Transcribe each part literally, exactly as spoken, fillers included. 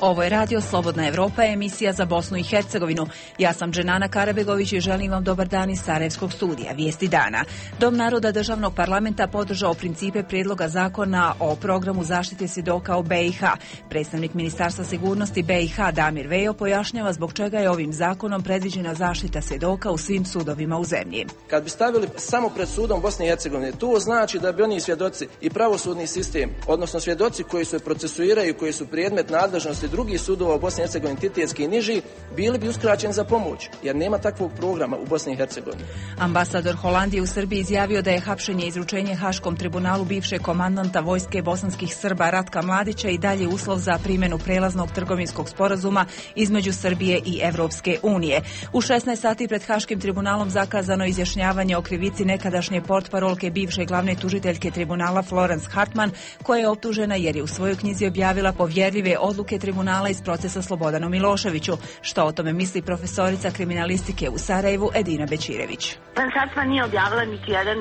Ovo je Radio Slobodna Evropa, emisija za Bosnu i Hercegovinu. Ja sam Dženana Karabegović i želim vam dobar dan iz Sarajevskog studija. Vijesti dana. Dom naroda državnog parlamenta podržao principe prijedloga zakona o programu zaštite svjedoka u B i H. Predstavnik Ministarstva sigurnosti B i H Damir Vejo pojašnjava zbog čega je ovim zakonom predviđena zaštita svjedoka u svim sudovima u zemlji. Kad bi stavili samo pred sudom Bosne i Hercegovine, to znači da bi oni svjedoci i pravosudni sistem, odnosno svjedoci koji se procesuiraju, koji su predmet nadležnosti drugih sudova u Bosni i Hercegovini, titetski i niži, bili bi uskraćeni za pomoć, jer nema takvog programa u Bosni i Hercegovini. Ambasador Holandije u Srbiji izjavio da je hapšenje i izručenje Haškom tribunalu bivšeg komandanta vojske bosanskih Srba Ratka Mladića i dalje uslov za primjenu prelaznog trgovinskog sporazuma između Srbije i Evropske unije. U šesnaest sati pred Haškim tribunalom zakazano izjašnjavanje o krivici nekadašnje portparolke bivše glavne tužiteljke tribunala Florence Hartman, koja je optužena jer je u svojoj knjizi objavila povjerljive odluke tribunala iz procesa Slobodanu Miloševiću. Što o tome misli profesorica kriminalistike u Sarajevu Edina Bećirević? Hartman nije objavila niti jedan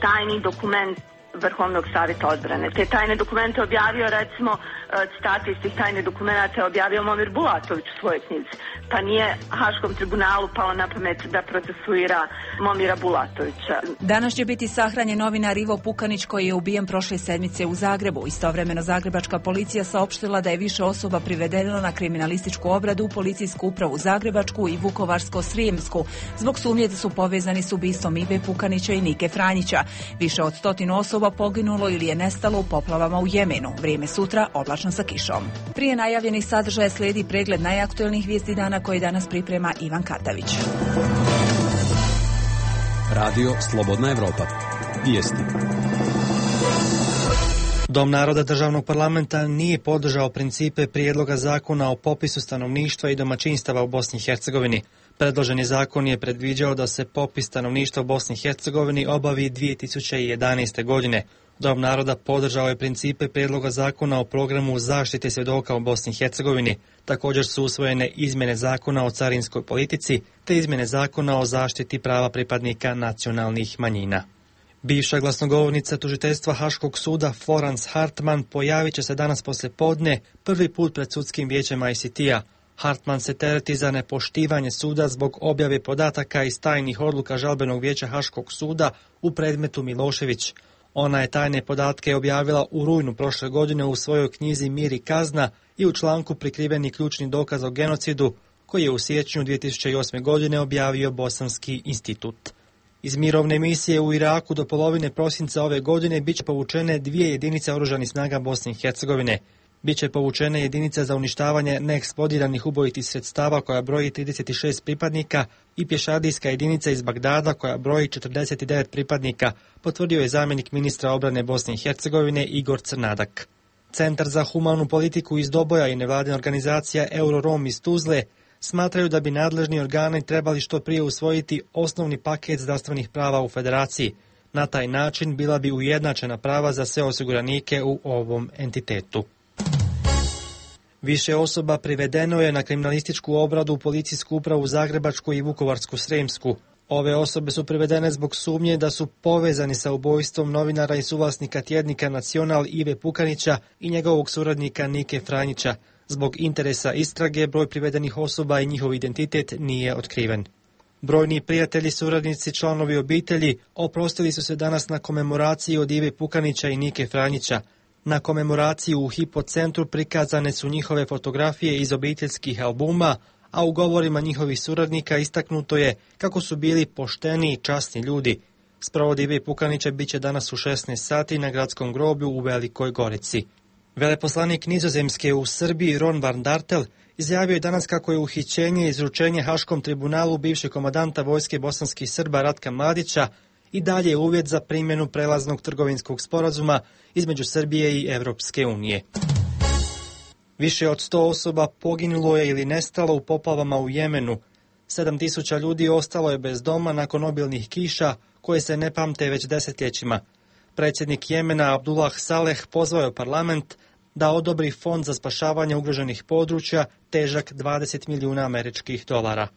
tajni dokument Vrhovnog savjeta odbrane. Te tajne dokumente objavio, recimo, citate iz tih tajne dokumenta je objavio Momir Bulatović u svojoj knjizi. Pa nije Haškom tribunalu palo na pamet da procesuira Momira Bulatovića. Danas će biti sahranjen novinar Ivo Pukanić koji je ubijen prošle sedmice u Zagrebu. Istovremeno zagrebačka policija saopštila da je više osoba privedeno na kriminalističku obradu u policijsku upravu Zagrebačku i Vukovarsko-srijemsku zbog sumnje da su povezani s ubistvom Ive Pukanića i Nike Franjića. Više od stotinu osoba poginulo ili je nestalo u poplavama u Jemenu. Vrijeme sutra oblačno sa kišom. Prije najavljenih sadržaja slijedi pregled najaktuelnijih vijesti dana koji danas priprema Ivan Katavić. Radio Slobodna Evropa. Vijesti. Dom naroda državnog parlamenta nije podržao principe prijedloga zakona o popisu stanovništva i domaćinstava u Bosni i Hercegovini. Predloženi zakon je predviđao da se popis stanovništva u Bosni i Hercegovini obavi dvije tisuće jedanaeste. godine. Dom naroda podržao je principe prijedloga zakona o programu zaštite svjedoka u Bosni i Hercegovini. Također su usvojene izmjene zakona o carinskoj politici te izmjene zakona o zaštiti prava pripadnika nacionalnih manjina. Bivša glasnogovornica tužiteljstva Haškog suda Florence Hartman pojavit će se danas poslijepodne prvi put pred sudskim vijećem I C T-a. Hartman se tereti za nepoštivanje suda zbog objave podataka iz tajnih odluka žalbenog vijeća Haškog suda u predmetu Milošević. Ona je tajne podatke objavila u rujnu prošle godine u svojoj knjizi Mir i kazna i u članku Prikriveni ključni dokaz o genocidu koji je u siječnju dvije tisuće osme. godine objavio Bosanski institut. Iz mirovne misije u Iraku do polovine prosinca ove godine bit će povučene dvije jedinice oružanih snaga Bosne i Hercegovine. Biće povučene jedinice za uništavanje neeksplodiranih ubojitih sredstava koja broji trideset šest pripadnika i pješadijska jedinica iz Bagdada koja broji četrdeset devet pripadnika, potvrdio je zamjenik ministra obrane Bosne i Hercegovine Igor Crnadak. Centar za humanu politiku iz Doboja i nevladina organizacija Eurorom iz Tuzle smatraju da bi nadležni organi trebali što prije usvojiti osnovni paket zdravstvenih prava u federaciji. Na taj način bila bi ujednačena prava za sve osiguranike u ovom entitetu. Više osoba privedeno je na kriminalističku obradu u policijsku upravu Zagrebačku i Vukovarsku-srijemsku. Ove osobe su privedene zbog sumnje da su povezani sa ubojstvom novinara i suvlasnika tjednika Nacional Ive Pukanića i njegovog suradnika Nike Franjića. Zbog interesa istrage, broj privedenih osoba i njihov identitet nije otkriven. Brojni prijatelji, suradnici, članovi obitelji oprostili su se danas na komemoraciji od Ive Pukanića i Nike Franjića. Na komemoraciji u Hypo centru prikazane su njihove fotografije iz obiteljskih albuma, a u govorima njihovih suradnika istaknuto je kako su bili pošteni i časni ljudi. Sprovod Ive Pukanića bit će danas u šesnaest sati na gradskom groblju u Velikoj Gorici. Veleposlanik Nizozemske u Srbiji Ron van Dartel izjavio je danas kako je uhićenje i izručenje Haškom tribunalu bivšeg komandanta vojske bosanskih Srba Ratka Mladića i dalje uvjet za primjenu prelaznog trgovinskog sporazuma između Srbije i Evropske unije. Više od sto osoba poginulo je ili nestalo u poplavama u Jemenu. sedam tisuća ljudi ostalo je bez doma nakon obilnih kiša koje se ne pamte već desetljećima. Predsjednik Jemena Abdullah Saleh pozvao je parlament da odobri fond za spašavanje ugroženih područja težak dvadeset milijuna američkih dolara.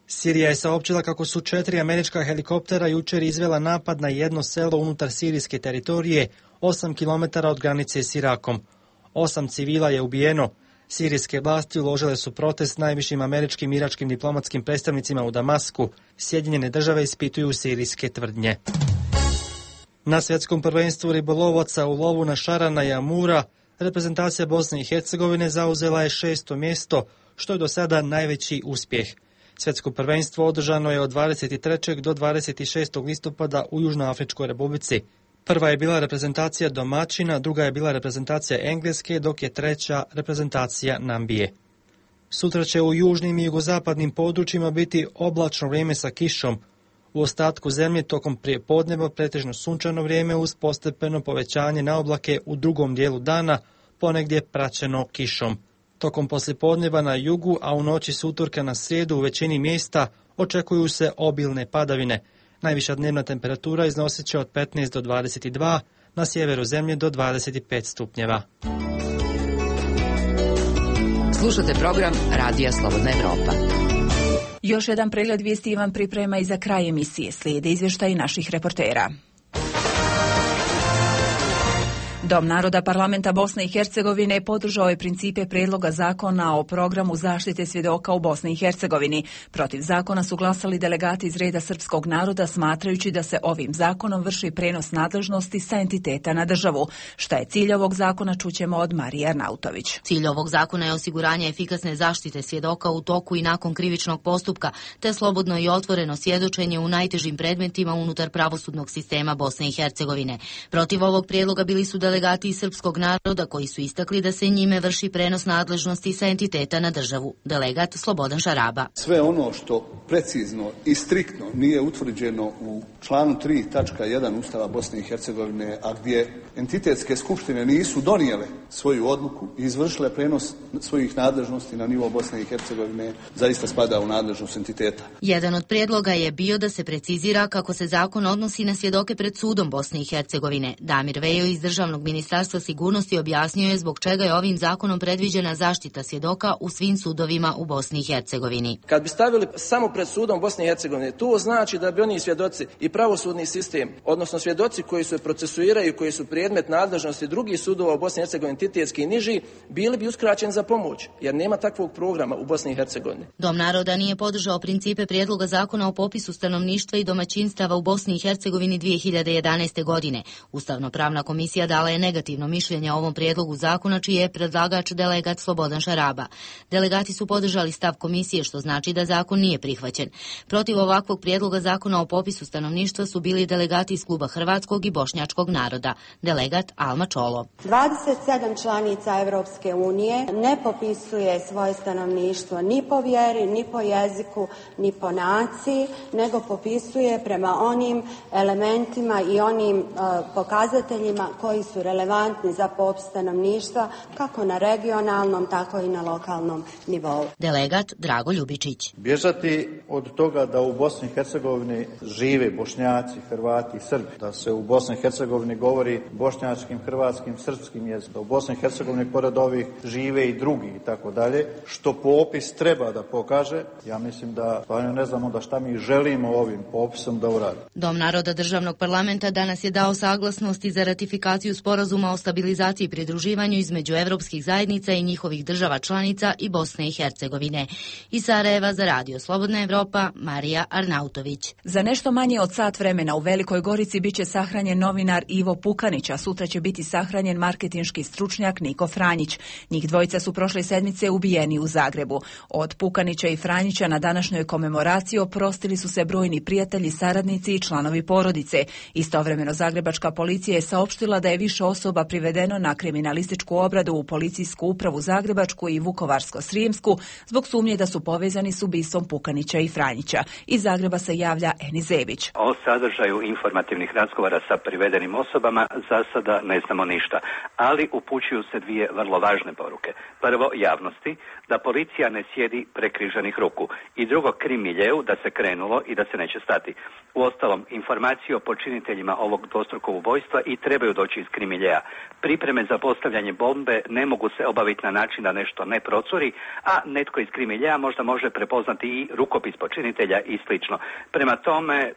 Sirija je saopćila kako su četiri američka helikoptera jučer izvela napad na jedno selo unutar sirijske teritorije, osam kilometara od granice s Irakom. Osam civila je ubijeno. Sirijske vlasti uložile su protest najvišim američkim i iračkim diplomatskim predstavnicima u Damasku. Sjedinjene države ispituju sirijske tvrdnje. Na svjetskom prvenstvu ribolovaca u lovu na šarana i amura reprezentacija Bosne i Hercegovine zauzela je šesto mjesto, što je do sada najveći uspjeh. Svjetsko prvenstvo održano je od dvadeset trećeg do dvadeset šestog listopada u Južnoafričkoj Republici. Prva je bila reprezentacija domaćina, druga je bila reprezentacija Engleske, dok je treća reprezentacija Nambije. Sutra će u južnim i jugozapadnim područjima biti oblačno vrijeme sa kišom. U ostatku zemlje tokom prijepodneva pretežno sunčano vrijeme uz postepeno povećanje na oblake u drugom dijelu dana, ponegdje praćeno kišom. Tokom poslijepodneva na jugu, a u noći s utorka na srijedu u većini mjesta očekuju se obilne padavine. Najviša dnevna temperatura iznosit će od petnaest do dvadeset dva, na sjeveru zemlje do dvadeset pet stupnjeva. Slušate program Radija Slobodna Evropa. Još jedan pregled vijesti vam priprema i za kraj emisije. Slijede izvještaji naših reportera. Dom naroda parlamenta Bosne i Hercegovine podržao je principe prijedloga zakona o programu zaštite svjedoka u Bosni i Hercegovini. Protiv zakona su glasali delegati iz reda srpskog naroda, smatrajući da se ovim zakonom vrši prenos nadležnosti sa entiteta na državu. Šta je cilj ovog zakona, čućemo od Marije Arnautović. Cilj ovog zakona je osiguranje efikasne zaštite svjedoka u toku i nakon krivičnog postupka, te slobodno i otvoreno svjedočenje u najtežim predmetima unutar pravosudnog sistema Bosne i Hercegovine. Protiv ovog prijedloga bili su delegati iz srpskog naroda koji su istakli da se njime vrši prenos nadležnosti sa entiteta na državu. Delegat Slobodan Šaraba. Sve ono što precizno i striktno nije utvrđeno u članu tri tačka jedan Ustava Bosne i Hercegovine, a gdje entitetske skupštine nisu donijele svoju odluku i izvršile prenos svojih nadležnosti na nivo Bosne i Hercegovine, zaista spada u nadležnost entiteta. Jedan od prijedloga je bio da se precizira kako se zakon odnosi na svjedoke pred sudom Bosne i Hercegovine. Damir Vejo iz Državnog ministarstva sigurnosti objasnio je zbog čega je ovim zakonom predviđena zaštita svjedoka u svim sudovima u Bosni i Hercegovini. Kad bi stavili samo pred sudom Bosne i Hercegovine, to znači da bi oni svjedoci i pravosudni sistem, odnosno svjedoci koji se procesuiraju, koji su predmet nadležnosti drugih sudova u Bosni i Hercegovini, entitetski i niži, bili bi uskraćeni za pomoć, jer nema takvog programa u Bosni i Hercegovini. Dom naroda nije podržao principe prijedloga zakona o popisu stanovništva i domaćinstava u Bosni i Hercegovini dvije hiljade jedanaeste. godine. Ustavno-pravna komisija dala je negativno mišljenje o ovom prijedlogu zakona, čiji je predlagač delegat Slobodan Šaraba. Delegati su podržali stav komisije, što znači da zakon nije prihvaćen. Protiv ovakvog prijedloga zakona o popisu stanovništva su bili delegati iz kluba hrvatskog i bošnjačkog naroda. Delegat Alma Čolo. dvadeset sedam članica Europske unije ne popisuje svoje stanovništvo ni po vjeri, ni po jeziku, ni po naciji, nego popisuje prema onim elementima i onim uh, pokazateljima koji su relevantni za popis stanovništva kako na regionalnom, tako i na lokalnom nivou. Delegat Drago Ljubičić. Bježati od toga da u Bosni i Hercegovini žive Bošnjaci, Hrvati i Srbi, da se u Bosni i Hercegovini govori bošnjačkim, hrvatskim, srpskim jezikom, da u Bosni i Hercegovini pored ovih žive i drugi i tako dalje, što popis treba da pokaže. Ja mislim da stvarno ne znamo da šta mi želimo ovim popisom da uradimo. Dom naroda državnog parlamenta danas je dao saglasnosti za ratifikaciju sporazuma o stabilizaciji i pridruživanju između evropskih zajednica i njihovih država članica i Bosne i Hercegovine. Iz Sarajeva za Radio Slobodna Evropa, Marija Arnautović. Za nešto manje od sat vremena u Velikoj Gorici biće sahranjen novinar Ivo Pukanić, a sutra će biti sahranjen marketinški stručnjak Niko Franjić. Njih dvojica su prošle sedmice ubijeni u Zagrebu. Od Pukanića i Franjića na današnjoj komemoraciji oprostili su se brojni prijatelji, saradnici i članovi porodice. Istovremeno zagrebačka policija je saopštila da je više osoba privedeno na kriminalističku obradu u policijsku upravu Zagrebačku i Vukovarsko-srijemsku zbog sumnje da su povezani s ubistvom Pukanića i Franjića. Iz Zagreba se javlja Eni Zebić. O sadržaju informativnih razgovora sa privedenim osobama za sada ne znamo ništa, ali upućuju se dvije vrlo važne poruke. Prvo, javnosti, da policija ne sjedi prekriženih ruku, i drugo, krimiljeu, da se krenulo i da se neće stati. Uostalom, informacije o počiniteljima ovog dvostrukog ubojstva i trebaju doći iz krimiljeja. Pripreme za postavljanje bombe ne mogu se obaviti na način da nešto ne procuri, a netko iz krimiljeja možda može prepoznati i rukopis niz počinitelja i slično. Prema tome,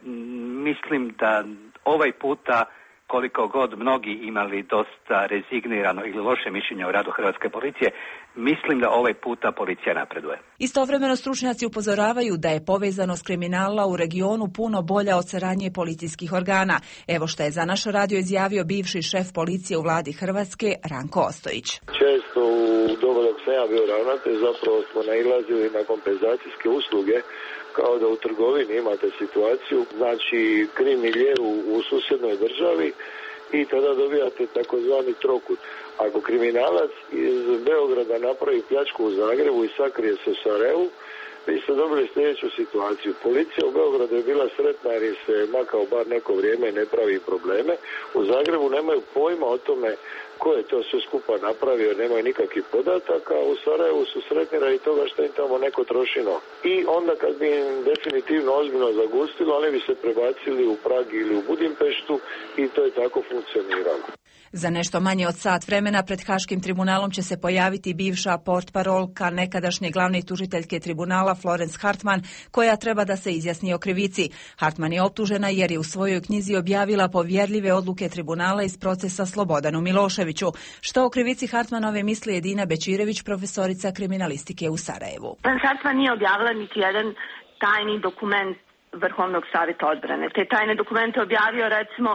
mislim da ovaj puta, koliko god mnogi imali dosta rezignirano ili loše mišljenje o radu hrvatske policije, mislim da ovaj puta policija napreduje. Istovremeno stručnjaci upozoravaju da je povezanost kriminala u regionu puno bolja od saradnje policijskih organa. Evo što je za naš radio izjavio bivši šef policije u vladi Hrvatske, Ranko Ostojić. Često u doba dok sam ja bio ravnatelj zapravo smo nailazili na kompenzacijske usluge, kao da u trgovini imate situaciju, znači krim milje u, u susjednoj državi i tada dobijate takozvani trokut. Ako kriminalac iz Beograda napravi pljačku u Zagrebu i sakrije se u Sarajevu, vi ste dobili sljedeću situaciju. Policija u Beogradu je bila sretna jer se makao bar neko vrijeme i ne pravi probleme. U Zagrebu nemaju pojma o tome ko je to sve skupa napravio, nemaju nikakvih podataka, u Sarajevu su sretni radi toga što im tamo neko troši novac. I onda kad bi im definitivno ozbiljno zagustilo, oni bi se prebacili u Prag ili u Budimpeštu i to je tako funkcioniralo. Za nešto manje od sat vremena pred Haškim tribunalom će se pojaviti bivša portparolka nekadašnje glavne tužiteljke tribunala Florence Hartman, koja treba da se izjasni o krivici. Hartman je optužena jer je u svojoj knjizi objavila povjerljive odluke tribunala iz procesa Slobodanu Miloševiću. Što o krivici Hartmanove misli Edina Bečirević, profesorica kriminalistike u Sarajevu. Hartman nije objavila niti jedan tajni dokument Vrhovnog savjeta odbrane. Te tajne dokumente objavio, recimo,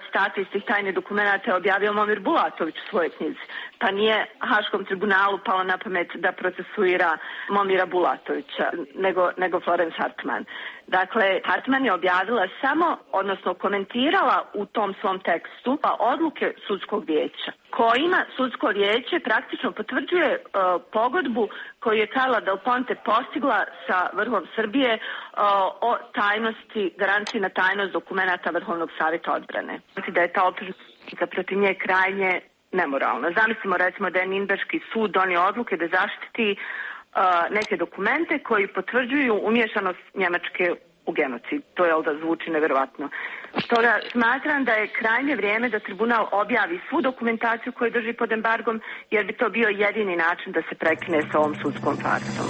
citate iz tih tajnih dokumenata je objavio Momir Bulatović u svojoj knjizi. Pa nije Haškom tribunalu palo na pamet da procesuira Momira Bulatovića, nego, nego Florence Hartman. Dakle, Hartman je objavila samo, odnosno komentirala u tom svom tekstu odluke sudskog vijeća, kojima sudsko vijeće praktično potvrđuje uh, pogodbu koju je Carla Del Ponte postigla sa vrhom Srbije uh, o tajnosti, garanciji na tajnost dokumenata Vrhovnog savjeta odbrane. Znači da je ta optužnica protiv nje krajnje nemoralna. Zamislimo recimo da je Ninberški sud donio odluke da zaštiti uh, neke dokumente koji potvrđuju umješanost Njemačke u genocid. To je da zvuči nevjerovatno. Stoga smatram da je krajnje vrijeme da tribunal objavi svu dokumentaciju koju drži pod embargom, jer bi to bio jedini način da se prekine sa ovom sudskom farsom.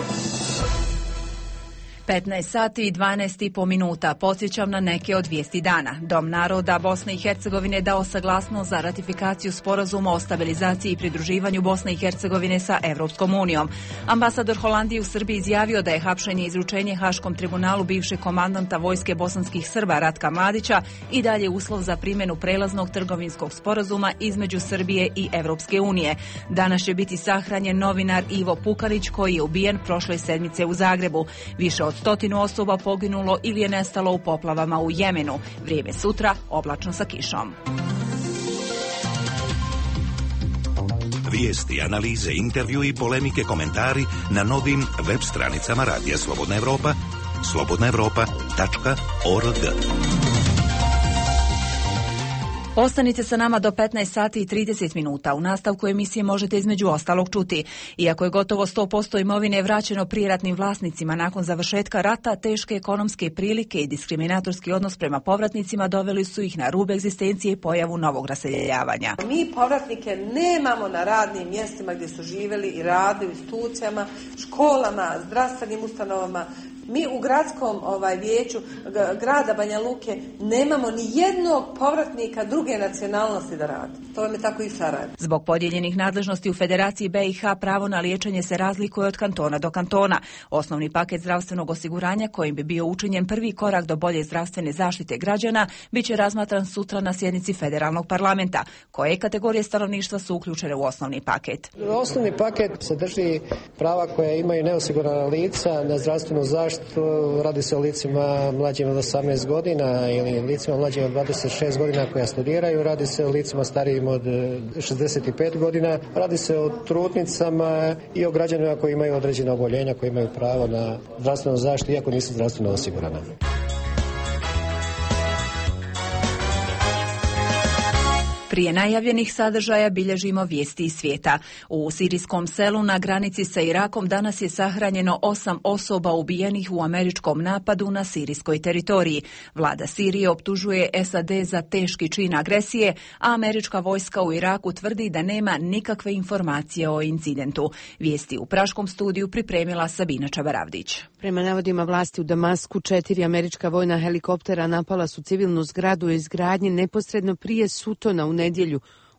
petnaest sati i dvanaest i po minuta. Podsjećam na neke od vijesti dana. Dom naroda Bosne i Hercegovine dao saglasnost za ratifikaciju sporazuma o stabilizaciji i pridruživanju Bosne i Hercegovine sa Evropskom unijom. Ambasador Holandije u Srbiji izjavio da je hapšenje i izručenje Haškom tribunalu bivšeg komandanta vojske bosanskih Srba Ratka Mladića i dalje uslov za primjenu prelaznog trgovinskog sporazuma između Srbije i Evropske unije. Danas će biti sahranjen novinar Ivo Pukanić, koji je ubijen prošle sedmice u Zagrebu. Više od stotinu osoba poginulo ili je nestalo u poplavama u Jemenu. Vrijeme sutra oblačno sa kišom. Vijesti, analize, intervju i polemike, komentari na novim web stranicama Radija Slobodna Evropa, slobodna evropa tačka org. Ostanite sa nama do petnaest sati i trideset minuta. U nastavku emisije možete između ostalog čuti. Iako je gotovo sto posto imovine vraćeno prijeratnim vlasnicima nakon završetka rata, teške ekonomske prilike i diskriminatorski odnos prema povratnicima doveli su ih na rub egzistencije i pojavu novog raseljavanja. Mi povratnike nemamo na radnim mjestima gdje su živjeli i radili u institucijama, školama, zdravstvenim ustanovama. Mi u gradskom ovaj, vijeću grada Banja Luke nemamo ni jednog povratnika druge nacionalnosti da radi. To vam je tako i u Sarajevu. Zbog podijeljenih nadležnosti u Federaciji B i H pravo na liječenje se razlikuje od kantona do kantona. Osnovni paket zdravstvenog osiguranja, kojim bi bio učinjen prvi korak do bolje zdravstvene zaštite građana, bit će razmatran sutra na sjednici federalnog parlamenta. Koje kategorije stanovništva su uključene u osnovni paket? Osnovni paket sadrži prava koja imaju neosigurana lica na zdravstvenu zaštitu. Radi se o licima mlađim od osamnaest godina ili licima mlađim od dvadeset šest godina koja studiraju, radi se o licima starijim od šezdeset pet godina, radi se o trudnicama i o građanima koji imaju određena oboljenja, koji imaju pravo na zdravstvenu zaštitu iako nisu zdravstveno osigurana. Prije najavljenih sadržaja bilježimo vijesti iz svijeta. U sirijskom selu na granici sa Irakom danas je sahranjeno osam osoba ubijenih u američkom napadu na sirijskoj teritoriji. Vlada Sirije optužuje S A D za teški čin agresije, a američka vojska u Iraku tvrdi da nema nikakve informacije o incidentu. Vijesti u praškom studiju pripremila Sabina Čabaravdić. Prema navodima vlasti u Damasku, četiri američka vojna helikoptera napala su civilnu zgradu u izgradnji neposredno prije Sutona u nedjelju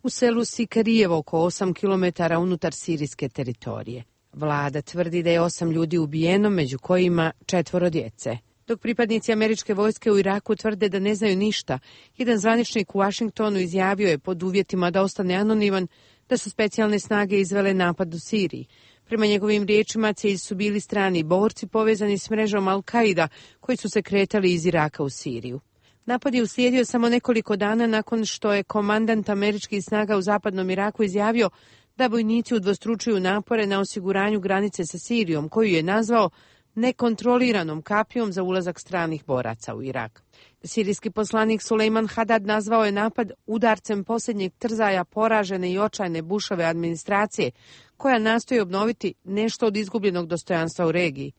u selu Sikarijevo, oko osam kilometara unutar sirijske teritorije. Vlada tvrdi da je osam ljudi ubijeno, među kojima četvoro djece. Dok pripadnici američke vojske u Iraku tvrde da ne znaju ništa, jedan zvaničnik u Washingtonu izjavio je pod uvjetima da ostane anoniman da su specijalne snage izvele napad u Siriji. Prema njegovim riječima, cilj su bili strani borci povezani s mrežom Al-Qaida koji su se kretali iz Iraka u Siriju. Napad je uslijedio samo nekoliko dana nakon što je komandant američkih snaga u zapadnom Iraku izjavio da vojnici udvostručuju napore na osiguranju granice sa Sirijom, koju je nazvao nekontroliranom kapijom za ulazak stranih boraca u Irak. Sirijski poslanik Sulejman Hadad nazvao je napad udarcem posljednjeg trzaja poražene i očajne Bushove administracije, koja nastoji obnoviti nešto od izgubljenog dostojanstva u regiji.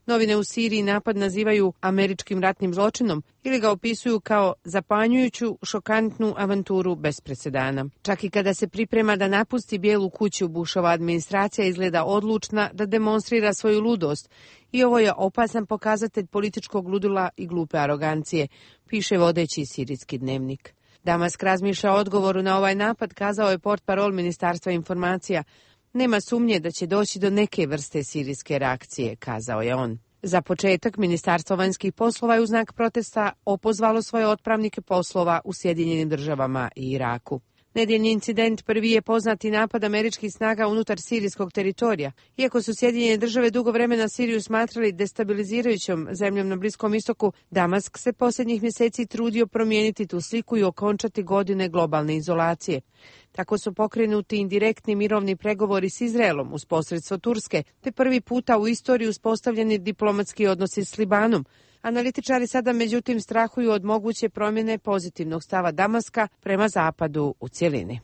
Novine u Siriji napad nazivaju američkim ratnim zločinom ili ga opisuju kao zapanjujuću, šokantnu avanturu bez presedana. Čak i kada se priprema da napusti Bijelu kuću, Bushova administracija izgleda odlučna da demonstrira svoju ludost i ovo je opasan pokazatelj političkog ludila i glupe arogancije, piše vodeći sirijski dnevnik. Damask razmišlja o odgovoru na ovaj napad, kazao je portparol Ministarstva informacija. Nema sumnje da će doći do neke vrste sirijske reakcije, kazao je on. Za početak, Ministarstvo vanjskih poslova je u znak protesta opozvalo svoje otpravnike poslova u Sjedinjenim državama i Iraku. Nedjeljni incident prvi je poznati napad američkih snaga unutar sirijskog teritorija. Iako su Sjedinjene države dugo vremena Siriju smatrali destabilizirajućom zemljom na Bliskom istoku, Damask se posljednjih mjeseci trudio promijeniti tu sliku i okončati godine globalne izolacije. Tako su pokrenuti indirektni mirovni pregovori s Izraelom uz posredstvo Turske, te prvi puta u istoriji uspostavljeni diplomatski odnosi s Libanom. Analitičari sada međutim strahuju od moguće promjene pozitivnog stava Damaska prema zapadu u cjelini.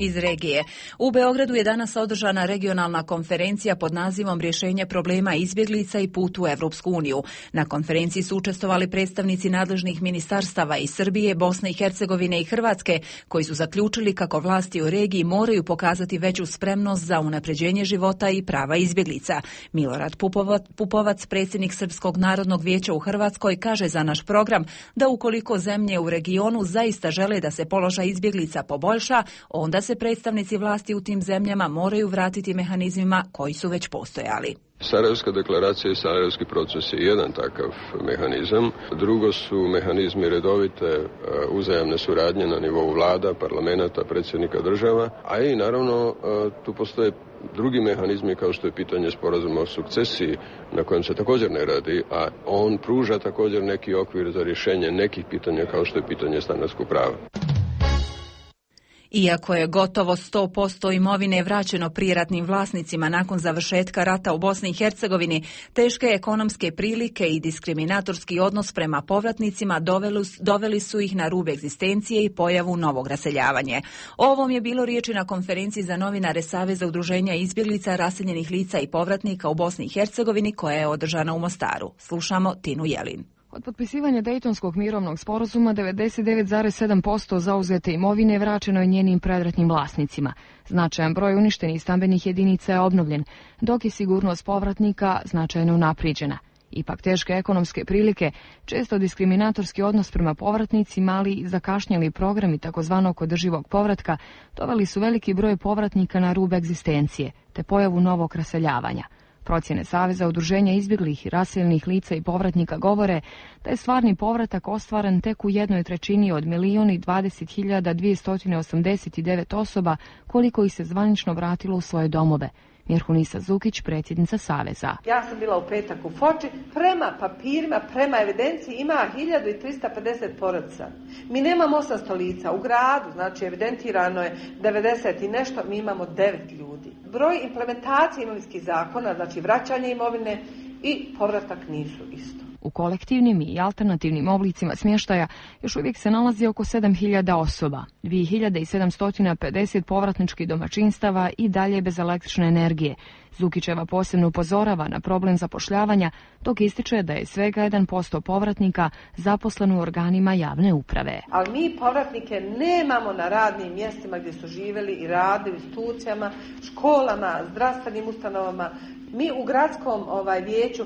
Iz regije. U Beogradu je danas održana regionalna konferencija pod nazivom Rješenje problema izbjeglica i put u Evropsku uniju. Na konferenciji su učestvovali predstavnici nadležnih ministarstava iz Srbije, Bosne i Hercegovine i Hrvatske, koji su zaključili kako vlasti u regiji moraju pokazati veću spremnost za unapređenje života i prava izbjeglica. Milorad Pupovac, predsjednik Srpskog narodnog vijeća u Hrvatskoj, kaže za naš program da ukoliko zemlje u regionu zaista žele da se položaj izbjeglica poboljša, onda se predstavnici vlasti u tim zemljama moraju vratiti mehanizmima koji su već postojali. Sarajevska deklaracija i Sarajevski proces je jedan takav mehanizam. Drugo su mehanizmi redovite uzajamne suradnje na nivou vlada, parlamenta, predsjednika država, a i naravno tu postoje drugi mehanizmi kao što je pitanje sporazuma o sukcesiji na kojem se također ne radi, a on pruža također neki okvir za rješenje nekih pitanja kao što je pitanje stanarskog prava. Iako je gotovo sto posto imovine vraćeno prijeratnim vlasnicima nakon završetka rata u Bosni i Hercegovini, teške ekonomske prilike i diskriminatorski odnos prema povratnicima doveli, doveli su ih na rub egzistencije i pojavu novog raseljavanja. O ovom je bilo riječi na konferenciji za novinare Saveza udruženja izbjeglica, raseljenih lica i povratnika u Bosni i Hercegovini koja je održana u Mostaru. Slušamo Tinu Jelin. Od potpisivanja Dejtonskog mirovnog sporazuma devedeset devet zarez sedam posto zauzete imovine vraćeno je njenim predratnim vlasnicima. Značajan broj uništenih stambenih jedinica je obnovljen, dok je sigurnost povratnika značajno unaprijeđena. Ipak teške ekonomske prilike, često diskriminatorski odnos prema povratnicima, ali i zakašnjeli programi takozvanog održivog povratka, doveli su veliki broj povratnika na rub egzistencije, te pojavu novog raseljavanja. Procjene Saveza udruženja izbjeglih i raseljenih lica i povratnika govore da je stvarni povratak ostvaren tek u jednoj trećini od milijun i dvadeset hiljada dvjesto osamdeset devet osoba koliko ih se zvanično vratilo u svoje domove. Mirhunisa Zukić, predsjednica Saveza. Ja sam bila u petak u Foči, prema papirima, prema evidenciji ima hiljadu trista pedeset porodica. Mi nemamo osamsto lica u gradu, znači evidentirano je devedeset i nešto, mi imamo devet ljudi. Broj implementacije imovinskih zakona, znači vraćanje imovine i povratak nisu isto. U kolektivnim i alternativnim oblicima smještaja još uvijek se nalazi oko sedam hiljada osoba, dvije hiljade sedamsto pedeset povratničkih domaćinstava i dalje bez električne energije. Zukićeva posebno upozorava na problem zapošljavanja, dok ističe da je svega jedan posto povratnika zaposleno u organima javne uprave. Ali mi povratnike nemamo na radnim mjestima gdje su živjeli i radili, u institucijama, školama, zdravstvenim ustanovama. Mi u gradskom ovaj, vijeću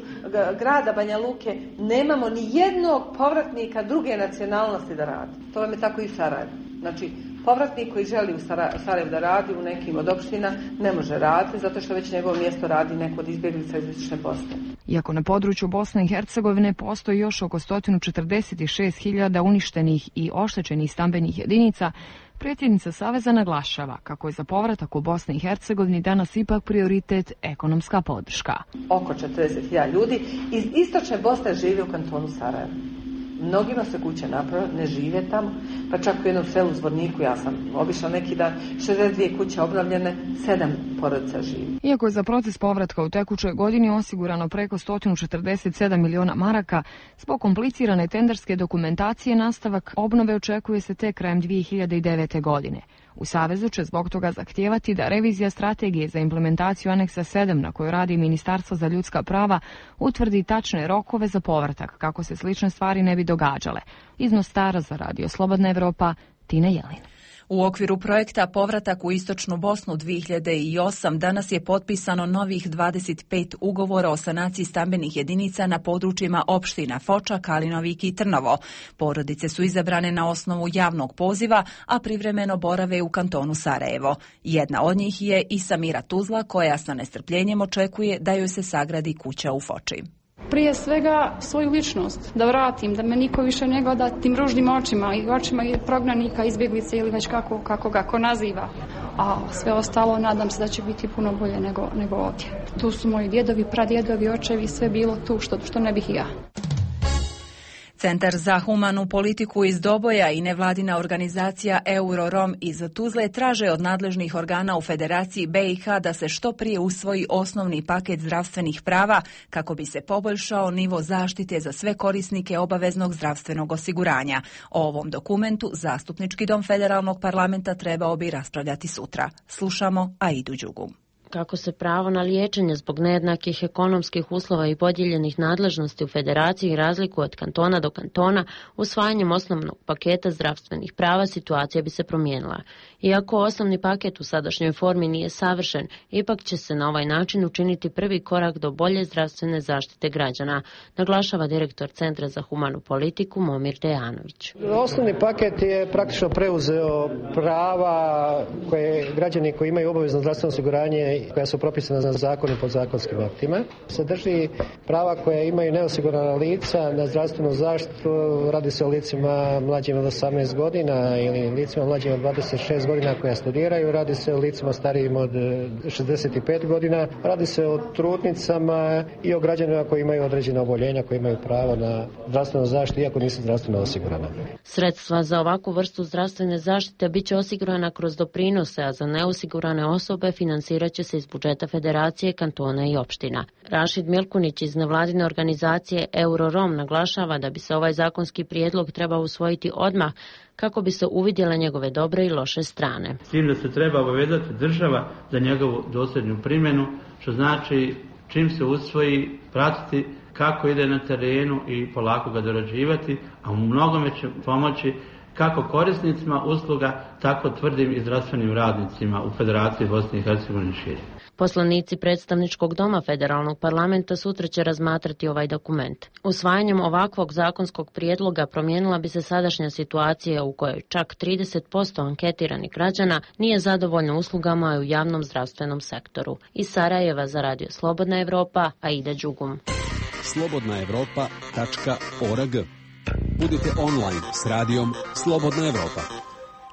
grada Banja Luke nemamo ni jednog povratnika druge nacionalnosti da radi. To vam je tako i u Sarajevu. Znači, povratnik koji želi u Sarajevu da radi u nekim od opština ne može raditi zato što već njegovo mjesto radi neko od izbjeglica iz Istočne Bosne. Iako na području Bosne i Hercegovine postoji još oko sto četrdeset šest hiljada uništenih i oštećenih stambenih jedinica, predsjednica Saveza naglašava kako je za povratak u Bosni i Hercegovini danas ipak prioritet ekonomska podrška. Oko četrdeset hiljada ljudi iz Istočne Bosne živi u kantonu Sarajevo. Mnogima se kuće napravile, ne žive tamo, pa čak u jednom selu Zvorniku, ja sam obišla neki dan, šezdeset dvije kuće obnovljene, sedam porodica živi. Iako je za proces povratka u tekućoj godini osigurano preko sto četrdeset sedam miliona maraka, zbog komplicirane tenderske dokumentacije nastavak obnove očekuje se tek krajem dvije hiljade devete. godine. U Savezu će zbog toga zahtijevati da revizija strategije za implementaciju aneksa sedam na kojoj radi Ministarstvo za ljudska prava utvrdi tačne rokove za povratak kako se slične stvari ne bi događale. Iznos Stara za Radio Slobodna Evropa, Tina Jelin. U okviru projekta Povratak u Istočnu Bosnu dvije hiljade osam danas je potpisano novih dvadeset pet ugovora o sanaciji stambenih jedinica na područjima opština Foča, Kalinovik i Trnovo. Porodice su izabrane na osnovu javnog poziva, a privremeno borave u kantonu Sarajevo. Jedna od njih je i Samira Tuzla, koja sa nestrpljenjem očekuje da joj se sagradi kuća u Foči. Prije svega svoju ličnost, da vratim, da me niko više ne gleda tim ružnim očima i očima prognanika, izbjeglice ili već kako, kako ga ko naziva. A sve ostalo nadam se da će biti puno bolje nego, nego ovdje. Tu su moji djedovi, pradjedovi, očevi, sve bilo tu što, što ne bih i ja. Centar za humanu politiku iz Doboja i nevladina organizacija Eurorom iz Tuzle traže od nadležnih organa u Federaciji be i ha da se što prije usvoji osnovni paket zdravstvenih prava kako bi se poboljšao nivo zaštite za sve korisnike obaveznog zdravstvenog osiguranja. O ovom dokumentu Zastupnički dom Federalnog parlamenta trebao bi raspravljati sutra. Slušamo Aidu Đugu. Kako se pravo na liječenje zbog nejednakih ekonomskih uslova i podijeljenih nadležnosti u federaciji razlikuje od kantona do kantona, usvajanjem osnovnog paketa zdravstvenih prava situacija bi se promijenila. Iako osnovni paket u sadašnjoj formi nije savršen, ipak će se na ovaj način učiniti prvi korak do bolje zdravstvene zaštite građana, naglašava direktor Centra za humanu politiku Momir Dejanović. Osnovni paket je praktično preuzeo prava koje građani koji imaju obavezno zdravstveno osiguranje koja su propisana za zakon i podzakonskim aktima. Sadrži prava koja imaju neosigurana lica na zdravstvenu zaštitu, radi se o licima mlađim od osamnaest godina ili licima mlađim od dvadeset šest godina koja studiraju, radi se o licima starijim od šezdeset pet godina, radi se o trudnicama i o građanima koji imaju određena oboljenja, koji imaju pravo na zdravstvenu zaštitu iako nisu zdravstveno osigurana. Sredstva za ovakvu vrstu zdravstvene zaštite bit će osigurana kroz doprinose, a za neosigurane osobe financirat će se iz budžeta federacije, kantona i opština. Rašid Milkunić iz nevladine organizacije Eurorom naglašava da bi se ovaj zakonski prijedlog trebao usvojiti odmah kako bi se uvidjele njegove dobre i loše strane. S tim da se treba obavezati država za njegovu dosljednu primjenu, što znači čim se usvoji pratiti kako ide na terenu i polako ga dorađivati, a u mnogome će pomoći kako korisnicima usluga, tako tvrdim i zdravstvenim radnicima u Federaciji Bosne i Hercegovine šire. Poslanici predstavničkog doma federalnog parlamenta sutra će razmatrati ovaj dokument. Usvajanjem ovakvog zakonskog prijedloga promijenila bi se sadašnja situacija u kojoj čak trideset posto anketiranih građana nije zadovoljno uslugama u javnom zdravstvenom sektoru. Iz Sarajeva za Radio Slobodna Evropa, Aida Đugum. slobodna evropa tačka org. Budite online s radijom Slobodna Evropa.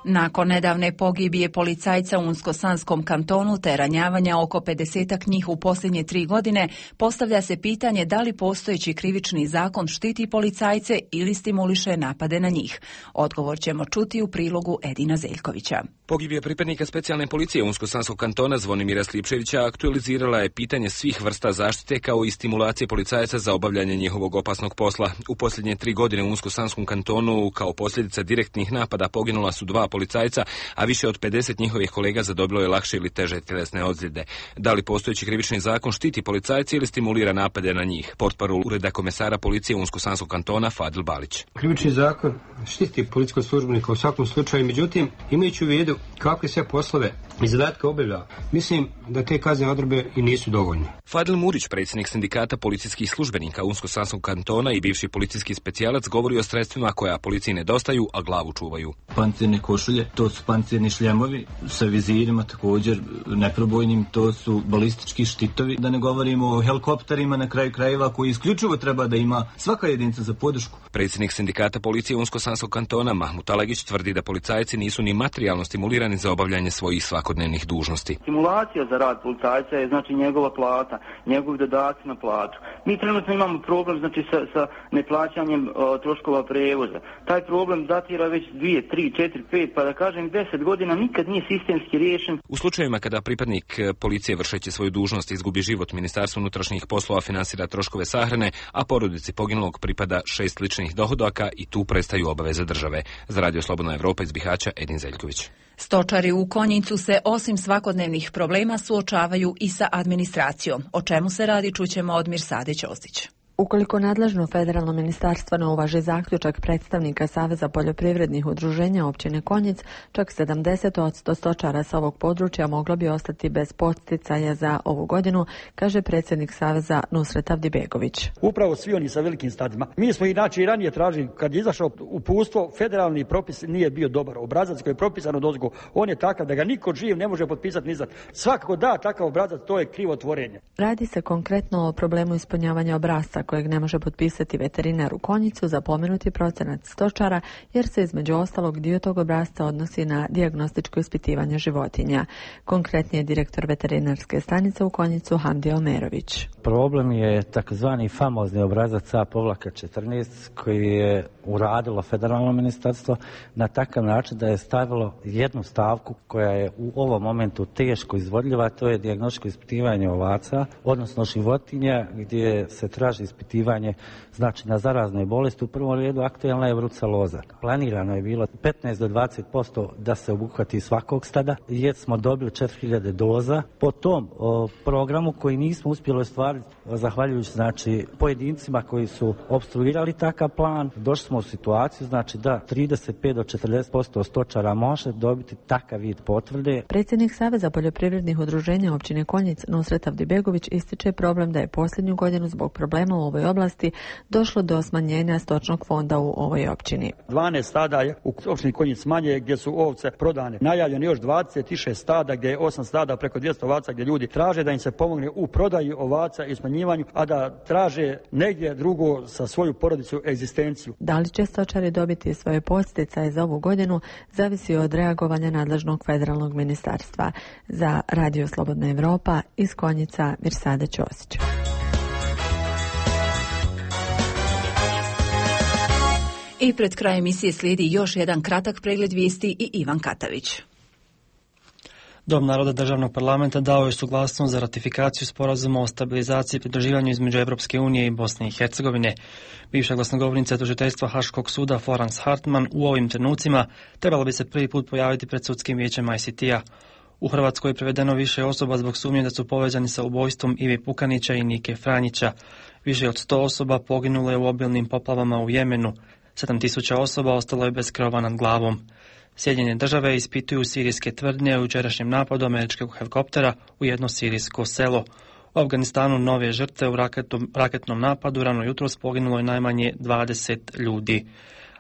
Nakon nedavne pogibije policajca u Unsko-Sanskom kantonu te ranjavanja oko pedesetak njih u posljednje tri godine, postavlja se pitanje da li postojeći krivični zakon štiti policajce ili stimuliše napade na njih. Odgovor ćemo čuti u prilogu Edina Zeljkovića. Pogibija pripadnika specijalne policije Unsko-Sanskog kantona Zvonimira Slipčevića aktualizirala je pitanje svih vrsta zaštite kao i stimulacije policajaca za obavljanje njihovog opasnog posla. U posljednje tri godine u Unsko-Sanskom kantonu kao posljedica direktnih napada poginula su dva policajca, a više od pedeset njihovih kolega zadobilo je lakše ili teže tjelesne ozljede. Da li postojeći krivični zakon štiti policajce ili stimulira napade na njih? Portparol ureda komesara policije Unsko-Sanskog kantona Fadil Balić. Krivični zakon štiti policijskog službenika u svakom slučaju, međutim, imajući u vidu kakve sve poslove i zadatke obavlja, mislim da te kaznene odredbe i nisu dovoljne. Fadil Murić, predsjednik sindikata policijskih službenika Unsko-Sanskog kantona i bivši policijski specijalac, govori o sredstvima koja policiji nedostaju, a glavu čuvaju. Pancirne košulje, to su pancirni šljemovi sa vizirima također neprobojnim, to su balistički štitovi, da ne govorimo o helikopterima na kraju krajeva koji isključivo treba da ima svaka jedinica za podršku. Predsjednik sindikata policije Unsko-Sanskog kantona Mahmut Alagić tvrdi da policajci nisu ni materijalno stimulirani za obavljanje svojih svakodnevnih dužnosti. Stimulacija za rad policajca je znači njegova plata, njegovi dodaci na platu. Mi trenutno imamo problem znači sa, sa neplaćanjem o, troškova prevoza. Taj problem datira već dvije, tri, četiri, pet, pa da kažem deset godina nikad nije sistemski riješen. U slučajevima kada pripadnik policije vršeći svoju dužnost izgubi život, Ministarstvo unutrašnjih poslova finansira troškove sahrane, a porodici poginulog pripada šest ličnih dohodaka i tu prestaju obaveze države. Za Radio Slobodna Evropa iz Bihaća, Edin Zeljković. Stočari u Konjicu se osim svakodnevnih problema suočavaju i sa administracijom. O čemu se radi čućemo od Mirsade Ćosić. Ukoliko nadležno federalno ministarstvo ne uvaži zaključak predstavnika Saveza poljoprivrednih udruženja općine Konjic, čak sedamdeset posto stočara sa ovog područja moglo bi ostati bez podsticaja za ovu godinu, kaže predsjednik Saveza Nusret Avdibegović. Upravo svi oni sa velikim stadima. Mi smo inače i ranije tražili, kad je izašao uputstvo, federalni propis nije bio dobar. Obrazac koji je propisan od ozgo, on je takav da ga niko živ ne može potpisati ni za. Svakako da takav obrazac, to je krivotvorenje. Radi se konkretno o problemu ispunjavanja obrasca kojeg ne može potpisati veterinar u Konjicu za pomenuti procenat stočara, jer se između ostalog dio tog obrasca odnosi na dijagnostičko ispitivanje životinja. Konkretnije direktor veterinarske stanice u Konjicu Hamdi Omerović. Problem je takozvani famozni obrazac A četrnaest koji je uradilo federalno ministarstvo na takav način da je stavilo jednu stavku koja je u ovom momentu teško izvodljiva, to je dijagnostičko ispitivanje ovaca, odnosno životinja, gdje se traži ispitivanje znači na zarazne bolesti. U prvom redu aktualna je bruceloza. Planirano je bilo petnaest do dvadeset posto da se obuhvati svakog stada, jer smo dobili četiri hiljade doza. Po tom o, programu koji nismo uspjeli ostvariti, zahvaljujući znači pojedincima koji su opstruirali takav plan, došli smo u situaciju znači da trideset pet do četrdeset posto stočara može dobiti takav vid potvrde. Predsjednik Saveza poljoprivrednih udruženja općine Konjic Nusret Avdibegović ističe problem da je posljednju godinu zbog problema u ovoj oblasti došlo do smanjenja stočnog fonda u ovoj općini. dvanaest stada je u općini Konjic manje gdje su ovce prodane. Najavljeno još dvadeset šest stada gdje je osam stada preko dvjesto ovaca gdje ljudi traže da im se pomogne u prodaji ovaca i smanjivanju, a da traže negdje drugo sa svoju porodicu egzistenciju. Da li će stočari dobiti svoje podsticaje za ovu godinu zavisi od reagovanja nadležnog federalnog ministarstva. Za Radio Slobodna Evropa iz Konjica Mirsada Ćosić. I pred kraj emisije slijedi još jedan kratak pregled vijesti i Ivan Katavić. Dom naroda državnog parlamenta dao je suglasnost za ratifikaciju sporazuma o stabilizaciji i pridruživanju između Europske unije i Bosne i Hercegovine. Bivša glasnogovornica tužiteljstva Haškog suda Florence Hartman u ovim trenucima trebala bi se prvi put pojaviti pred sudskim vijećem I C T-a. U Hrvatskoj je prevedeno više osoba zbog sumnje da su povezani sa ubojstvom Ive Pukanića i Nike Franjića. Više od sto osoba poginulo je u obilnim poplavama u Jemenu. sedam tisuća osoba ostalo je bez krova nad glavom. Sjedinjene države ispituju sirijske tvrdnje u jučerašnjem napadu američkog helikoptera u jedno sirijsko selo. U Afganistanu nove žrtve u raketom, raketnom napadu rano jutros poginulo je najmanje dvadeset ljudi.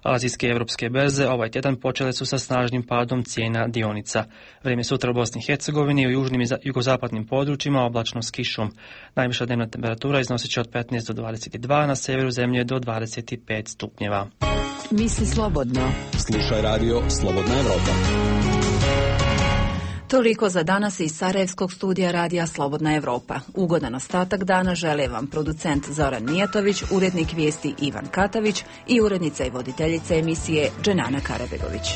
Azijske i evropske berze ovaj tjedan počele su sa snažnim padom cijena dionica. Vrijeme sutra u Bosni i Hercegovini i u južnim i jugozapadnim područjima oblačno s kišom. Najviša dnevna temperatura iznosit će od petnaest do dvadeset dva, na severu zemlje do dvadeset pet stupnjeva. Misli slobodno. Slušaj radio Slobodna Evropa. Toliko za danas iz Sarajevskog studija radija Slobodna Evropa. Ugodan ostatak dana žele vam producent Zoran Mijatović, urednik vijesti Ivan Katavić i urednica i voditeljica emisije Dženana Karabegović.